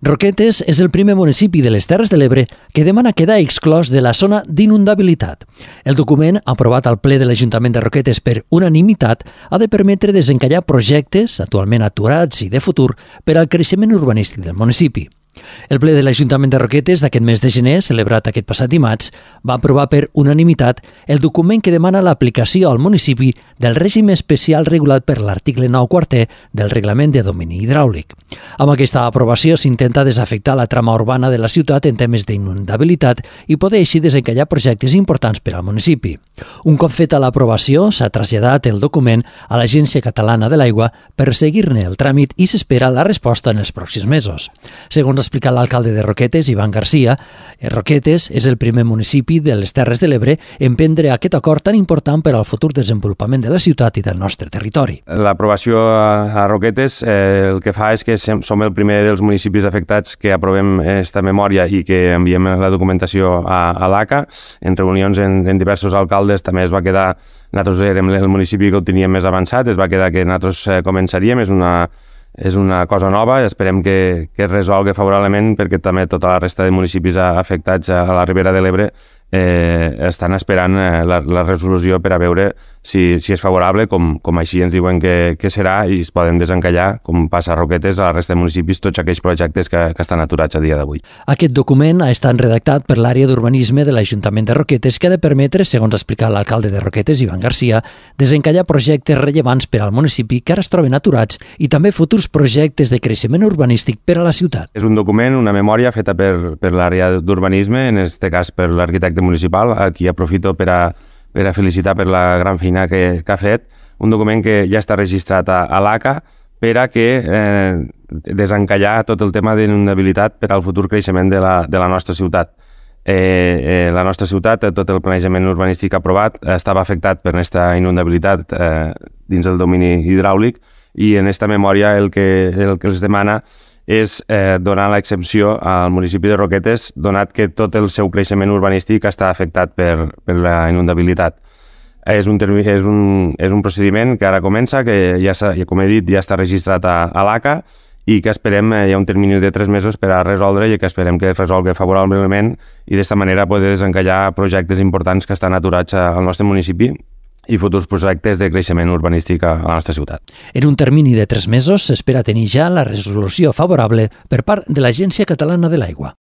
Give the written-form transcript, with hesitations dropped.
Roquetes és el primer municipi de les Terres de l'Ebre que demana quedar exclòs de la zona d'inundabilitat. El document, aprovat al ple de l'Ajuntament de Roquetes per unanimitat, ha de permetre desencallar projectes, actualment aturats i de futur, per al creixement urbanístic del municipi. El ple de l'Ajuntament de Roquetes d'aquest mes de gener, celebrat aquest passat dimarts, va aprovar per unanimitat el document que demana l'aplicació al municipi del règim especial regulat per l'article 9 quarter del Reglament de Domini Hidràulic. Amb aquesta aprovació s'intenta desafectar la trama urbana de la ciutat en temes d'inundabilitat i poder així desencallar projectes importants per al municipi. Un cop feta l'aprovació, s'ha traslladat el document a l'Agència Catalana de l'Aigua per seguir-ne el tràmit i s'espera la resposta en els pròxims mesos. Segons ha explicat l'alcalde de Roquetes, Iván García, Roquetes és el primer municipi de les Terres de l'Ebre en prendre aquest acord tan important per al futur desenvolupament de la ciutat i del nostre territori. L'aprovació a Roquetes el que fa és que som el primer dels municipis afectats que aprovem aquesta memòria i que enviem la documentació a l'ACA. En reunions en diversos alcaldes també es va quedar, nosaltres érem el municipi que ho teníem més avançat, es va quedar que nosaltres començaríem, és una cosa nova i esperem que es resolgui favorablement perquè també tota la resta de municipis afectats a la Ribera de l'Ebre estan esperant la resolució per a veure si és favorable, com així ens diuen que serà, i es poden desencallar, com passa a Roquetes, a la resta de municipis, tots aquells projectes que estan aturats a dia d'avui. Aquest document ha estat redactat per l'àrea d'urbanisme de l'Ajuntament de Roquetes que ha de permetre, segons ha explicat l'alcalde de Roquetes, Iván García, desencallar projectes rellevants per al municipi que ara es troben aturats i també futurs projectes de creixement urbanístic per a la ciutat. És un document, una memòria feta per l'àrea d'urbanisme, en aquest cas per l'arquitecte municipal, a qui aprofito per a felicitar per la gran feina que ha fet, un document que ja està registrat a l'ACA per a que desencallar tot el tema d'inundabilitat per al futur creixement de la nostra ciutat. La nostra ciutat, tot el planejament urbanístic aprovat, estava afectat per aquesta inundabilitat dins el domini hidràulic i en aquesta memòria el que els demana és donar l'exempció al municipi de Roquetes, donat que tot el seu creixement urbanístic està afectat per la inundabilitat. És un procediment que ara comença, que ja, com he dit, ja està registrat a l'ACA i que esperem, hi ha un termini de 3 mesos per a resoldre i que esperem que es resolgui favorablement i d'esta manera poder desencallar projectes importants que estan aturats al nostre municipi i futurs projectes de creixement urbanístic a la nostra ciutat. En un termini de 3 mesos s'espera tenir ja la resolució favorable per part de l'Agència Catalana de l'Aigua.